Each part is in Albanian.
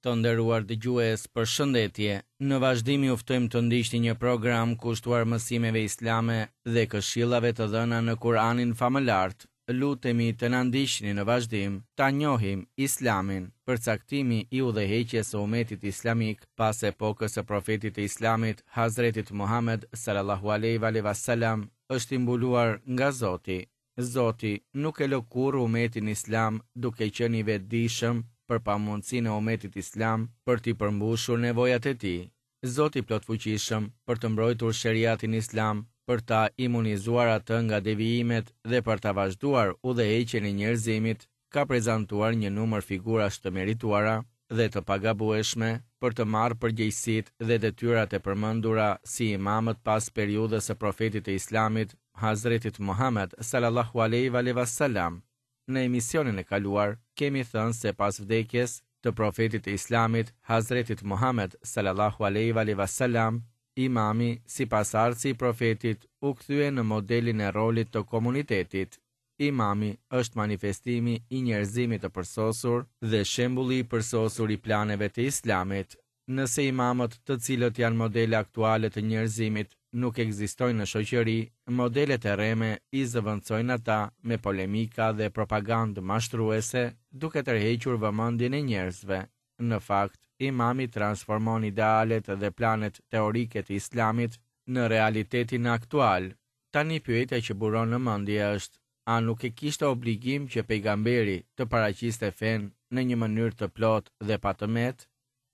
Të nderuar dëgjues, përshëndetje. Në vazhdim ju ftojmë të ndiqni një program kushtuar mësimeve islame dhe këshillave të dhëna në Kur'anin Famëlartë. Lutemi të na ndiqni në vazhdim, ta njohim Islamin. Përcaktimi i udhëheqjes së umetit islamik pas epokës së Profetit të Islamit, Hazretit Muhamed, salallahu alejhi ve alejhi ve selam, është i mbuluar nga Zoti. Zoti nuk e lë kurrë umetin islam duke qenë i vetëdijshëm për pamundësinë e umetit islam për t'i përmbushur nevojat e tij. Zoti i Plotfuqishëm për të mbrojtur sheriatin islam, për ta imunizuar atë nga devijimet dhe për ta vazhduar udhëheqjen e njerëzimit, ka prezantuar një numër figurash të merituara dhe të pagabueshme për të marrë përgjegjësitë dhe detyrat e përmendura si imamët pas periudhës së Profetit të Islamit, Hazretit Muhamed, salallahu alejhi ve alejhi ve selam. Në emisionin e kaluar, kemi thënë se pas vdekjes të Profetit të Islamit, Hazretit Muhamed, salallahu alejhi ve alejhi ve selam, imami, si pasardhësi i Profetit, u kthye në modelin e rolit të komunitetit. Imami është manifestimi i njerëzimit të përsosur dhe shembulli i përsosur i planeve të Islamit. Nëse imamët, të cilët janë modele aktuale të njerëzimit, nuk ekzistojnë në shoqëri, modelet e rreme i zëvendësojnë ata me polemika dhe propagandë mashtruese, duke tërhequr vëmendjen e njerëzve. Në fakt, imami transformon idealet dhe planet teorike të Islamit në realitetin aktual. Tani pyetja që buron në mendje është, a nuk e kishte obligim që pejgamberi të paraqiste fenë në një mënyrë të plotë dhe pa të metë?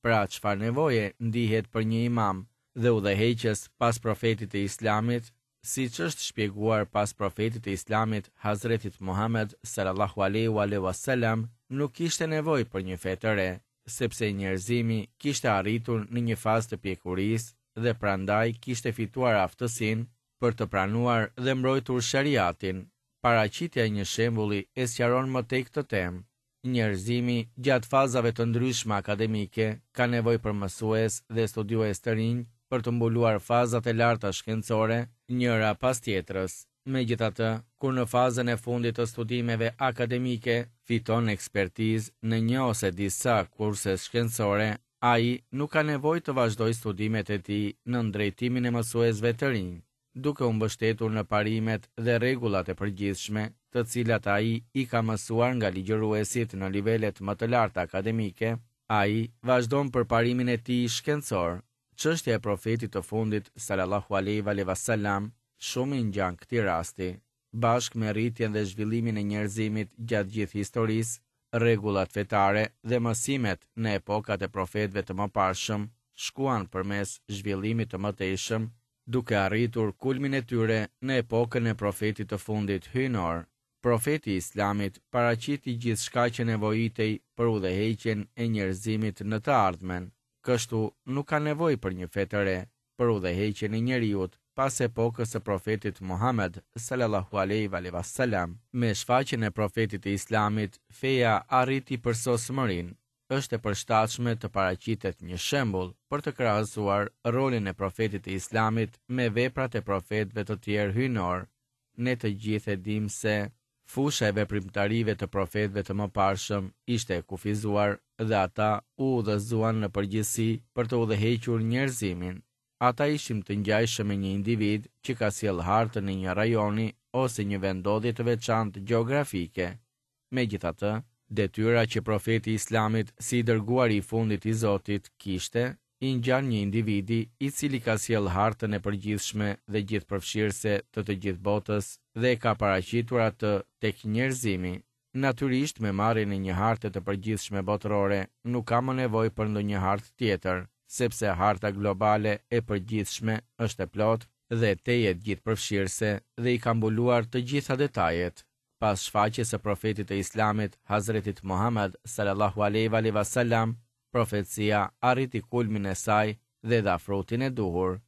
Pra çfarë nevoje ndihet për një imam dhe udhëheqës pas profetit të Islamit, siç është shpjeguar pas profetit të Islamit Hazretit Muhamed sallallahu alejhi wa alejhi wa selam nuk kishte nevojë për një fe të re, sepse njerëzimi kishte arritur në një fazë të pjekurisë dhe prandaj kishte fituar aftësinë për të pranuar dhe mbrojtur sheriatin. Paraqitja e një shembulli e sqaron më tej këtë temë. Njerëzimi, gjatë fazave të ndryshme akademike, ka nevojë për mësues dhe studiues të rinj për të mbuluar fazat e larta shkencore, njëra pas tjetrës. Megjithatë, kur në fazën e fundit të studimeve akademike fiton ekspertizë në një ose disa kurse shkencore, ai nuk ka nevojë të vazhdojë studimet e tij nën drejtimin e mësuesve të rinj, duke u mbështetur në parimet dhe rregullat e përgjithshme, të cilat ai i ka mësuar nga ligjëruesit në nivelet më të larta akademike, ai vazhdon përparimin e tij shkencor. Çështja e Profetit të fundit, salallahu alejhi ve alejhi ve selam, shumë i ngjan këtij rasti. Bashkë me rritjen dhe zhvillimin e njerëzimit gjatë gjithë historisë, rregullat fetare dhe mësimet në epokat e profetëve të mëparshëm shkuan përmes zhvillimit të mëtejshëm, duke arritur kulmin e tyre në epokën e profetit të fundit hyjnor. Profeti i Islamit paraqiti gjithçka që nevojitej për udhëheqjen e njerëzimit në të ardhmen. Kështu, nuk ka nevojë për një fe të re, për udhëheqjen e njeriut pas epokës së Profetit Muhamed, salallahu alejhi ve alejhi ve selam. Me shfaqjen e Profetit të Islamit, feja arriti përsosmërinë. Është e përshtatshme të paraqitet një shembull për të krahasuar rolin e Profetit të Islamit me veprat e profetëve të tjerë hyjnorë. Ne të gjithë e dimë se Fusha e veprimtarive të profetëve të mëparshëm ishte e kufizuar dhe ata u udhëzuan në përgjithësi për të udhëhequr njerëzimin. Ata ishin të ngjashëm me një individ që ka sjellë hartën e një rajoni ose një vendndodhje të veçantë gjeografike. Megjithatë, detyra që profeti i Islamit si i dërguari i fundit i Zotit kishte, i ngjan një individi i cili ka sjellë hartën e përgjithshme dhe gjithëpërfshirëse të të gjithë botës dhe e ka paraqitur atë tek njerëzimi. Natyrisht me marrjen e një harte të përgjithshme botërore nuk ka më nevojë për ndonjë hartë tjetër, sepse harta globale e përgjithshme është e plotë dhe tejet gjithëpërfshirëse dhe i ka mbuluar të gjitha detajet. Pas shfaqjes së Profetit të Islamit, Hazretit Muhamed, salallahu alejhi ve alejhi ve selam, Profecia arriti kulmin e saj dhe dha frutin e duhur.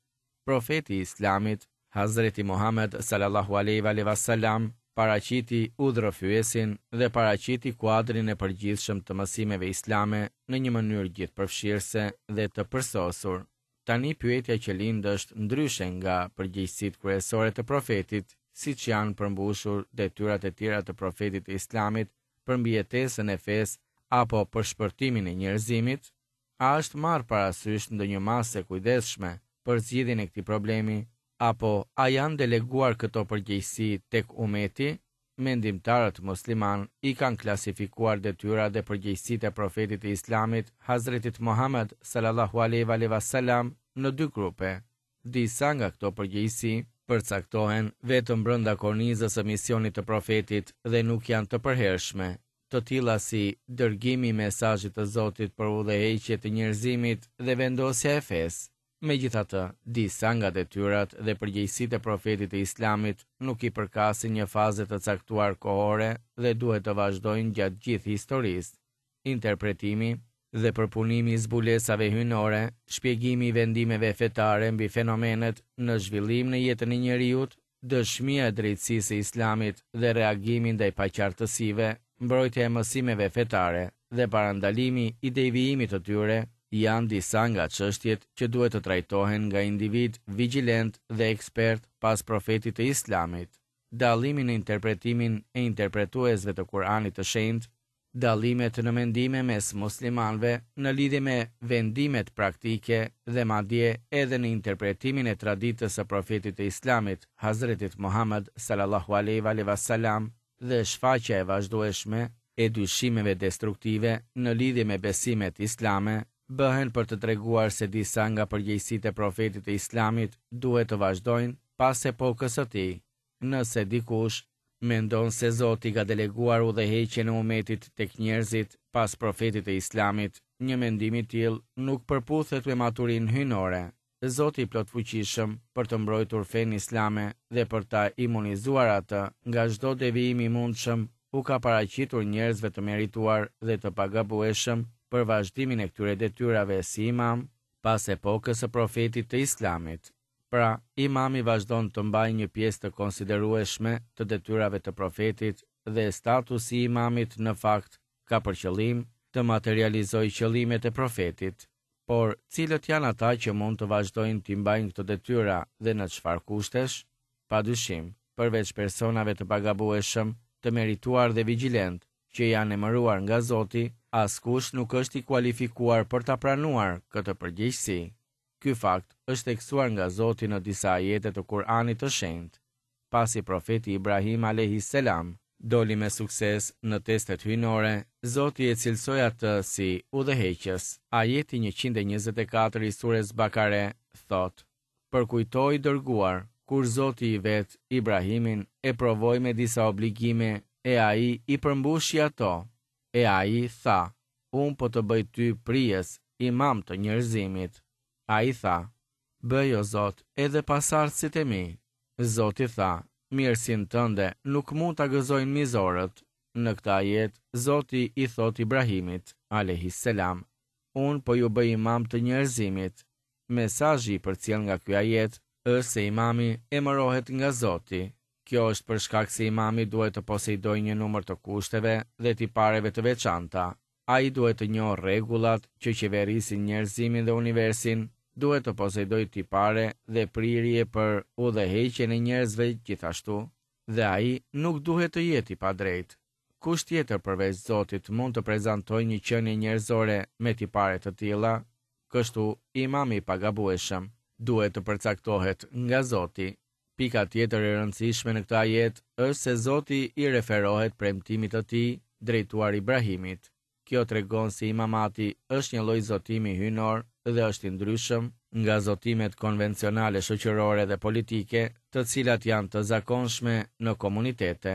Profeti i Islamit, Hazreti Muhamed salallahu alejhi ve alejhi ve selam, paraqiti udhërrëfyesin dhe paraqiti kuadrin e përgjithshëm të mësimeve islame në një mënyrë gjithëpërfshirëse dhe të përsosur. Tani pyetja që lind është ndryshe nga përgjegjësitë kryesore të Profetit, siç janë përmbushur detyrat e tjera të Profetit të Islamit për mbijetesën e fesë apo për shpëtimin e njerëzimit? A është marrë parasysh ndonjë masë e kujdesshme për zgjidhjen e këtij problemi, apo a janë deleguar këto përgjegjësi tek umeti? Mendimtarët muslimanë i kanë klasifikuar detyrat dhe përgjegjësitë e Profetit të Islamit, Hazretit Muhamed, salallahu alejhi ve alejhi ve selam, në dy grupe. Disa nga këto përgjegjësi përcaktohen vetëm brenda kornizës së misionit të Profetit dhe nuk janë të përhershme, të tilla si dërgimi i mesazhit të Zotit për udhëheqje të njerëzimit dhe vendosja e fesë. Megjithatë, disa nga detyrat dhe përgjegjësitë e Profetit të Islamit nuk i përkasin një faze të caktuar kohore dhe duhet të vazhdojnë gjatë gjithë historisë. Interpretimi dhe përpunimi i zbulesave hyjnore, shpjegimi i vendimeve fetare mbi fenomenet në zhvillim në jetën e njeriut, dëshmia e drejtësisë së Islamit dhe reagimi ndaj paqartësive, mbrojtja e mësimeve fetare dhe parandalimi i devijimit të tyre, janë disa nga çështjet që duhet të trajtohen nga individë vigjilentë dhe ekspertë pas Profetit të Islamit. Dallimi në interpretimin e interpretuesve të Kur'anit të Shenjtë Dallimet në mendime mes muslimanëve në lidhje me vendimet praktike dhe madje edhe në interpretimin e traditës së Profetit të Islamit, Hazretit Muhamed, salallahu alejhi ve alejhi ve selam, dhe shfaqja e vazhdueshme e dyshimeve destruktive në lidhje me besimet islame, bëhen për të treguar se disa nga përgjegjësitë e Profetit të Islamit duhet të vazhdojnë pas epokës së tij. Nëse dikush mendon se Zoti ka deleguar udhëheqjen e umetit tek njerëzit pas Profetit të Islamit, një mendim i tillë nuk përputhet me maturinë hyjnore. Zoti i Plotfuqishëm, për të mbrojtur fenë islame dhe për ta imunizuar atë nga çdo devijim i mundshëm, u ka paraqitur njerëzve të merituar dhe të pagabueshëm për vazhdimin e këtyre detyrave si imam pas epokës së Profetit të Islamit. Pra, imami vazhdon të mbajë një pjesë të konsiderueshme të detyrave të Profetit dhe statusi i imamit në fakt ka për qëllim të materializojë qëllimet e Profetit. Por, cilët janë ata që mund të vazhdojnë t'i mbajnë këto detyra dhe në çfarë kushtesh? Pa dyshim, përveç personave të pagabueshëm, të merituar dhe vigjilentë, që janë emëruar nga Zoti, askush nuk është i kualifikuar për ta pranuar këtë përgjegjësi. Ky fakt është theksuar nga Zoti në disa ajete të Kur'anit të Shenjtë. Pasi Profeti Ibrahim alejhi selam doli me sukses në testet hyjnore, Zoti e cilësoi atë si udhëheqës. Ajeti 124 i Sures Bakare thotë: Përkujto i dërguar, kur Zoti i vet, Ibrahimin, e provoi me disa obligime e ai i përmbushi ato. E ai tha, Unë po të bëj ty prijës, imam të njerëzimit. Ai tha, Bëj o Zot edhe pasardhësit e mi. Zoti tha, Mirësinë tënde nuk mund ta gëzojnë mizorët. Në këtë ajet, Zoti i thotë Ibrahimit, alejhi selam, Unë po ju bëj imam të njerëzimit. Mesazhi i përcjellë nga ky ajet është se imami emërohet nga Zoti. Kjo është për shkak se imami duhet të poseidojë një numër të kushteve dhe tipareve të veçanta. Ai duhet të njohë rregullat që qeverisin njerëzimin dhe universin, duhet të poseidojë tipare dhe prirje për udhëheqjen e njerëzve gjithashtu, dhe ai nuk duhet të jetë i padrejtë. Kush tjetër përveç Zotit mund të prezantojë një qenie njerëzore me tipare të tilla? Kështu, imami i pagabueshëm duhet të përcaktohet nga Zoti. Pika tjetër e rëndësishme në këtë ajet është se Zoti i referohet premtimit të tij drejtuar Ibrahimit. Kjo tregon se imamati është një lloj zotimi hyjnor dhe është i ndryshëm nga zotimet konvencionale shoqërore dhe politike, të cilat janë të zakonshme në komunitete.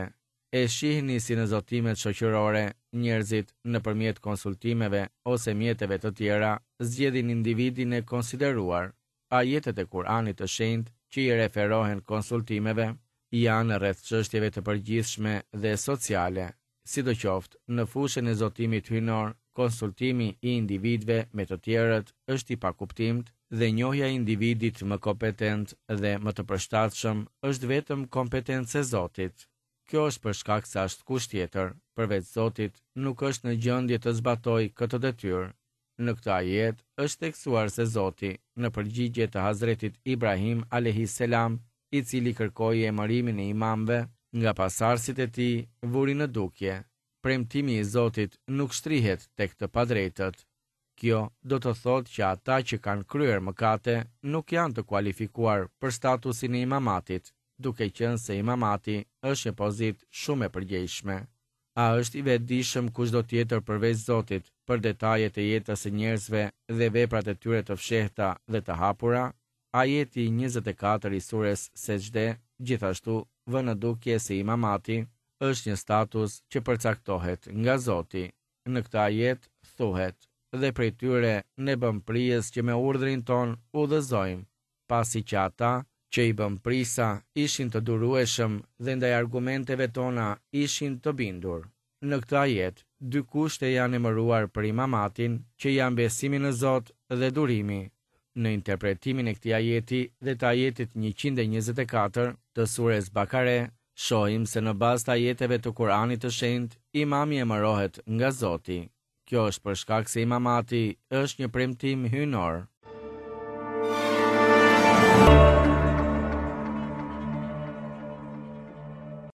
E shihni si në zotimet shoqërore, njerëzit, nëpërmjet konsultimeve ose mjeteve të tjera, zgjedhin individin e konsideruar. Ajetet e Kur'anit të Shenjtë që i referohen konsultimeve janë rreth çështjeve të përgjithshme dhe sociale. Sidoqoftë, në fushën e zotimit hyjnor, konsultimi i individëve me të tjerët është i pakuptimtë dhe njohja e individit më kompetent dhe më të përshtatshëm është vetëm kompetencë e Zotit. Kjo është për shkak se askush tjetër, përveç Zotit, nuk është në gjendje të zbatojë këtë detyrë. Në këtë ajet është theksuar se Zoti, në përgjigje të Hazretit Ibrahim alejhi selam, i cili kërkoi emërimin e imamëve nga pasardhësit e tij, vuri në dukje, Premtimi i Zotit nuk shtrihet tek të padrejtët. Kjo do të thotë që ata që kanë kryer mëkate nuk janë të kualifikuar për statusin e imamatit, duke qenë se imamati është një pozitë shumë e përgjegjshme. A është i vetëdijshëm kushdo tjetër përveç Zotit për detajet e jetës së njerëzve dhe veprat e tyre të fshehta dhe të hapura? Ajeti 24 i sures Sexhde gjithashtu vë në dukje se imamati është një status që përcaktohet nga Zoti. Në këtë ajet thuhet, Dhe prej tyre ne bëmë prijës që me urdhrin tonë udhëzojmë, pasi që ata, që i bëmë prijësa, ishin të durueshëm dhe ndaj argumenteve tona ishin të bindur. Në këtë ajet, dy kushte janë emëruar për imamatin, që janë besimi në Zot dhe durimi. Në interpretimin e këtij ajeti dhe të ajetit 124 të sures Bakare, shohim se në bazë të ajeteve të Kur'anit të Shenjtë, imami emërohet nga Zoti. Kjo është për shkak se imamati është një premtim hyjnor.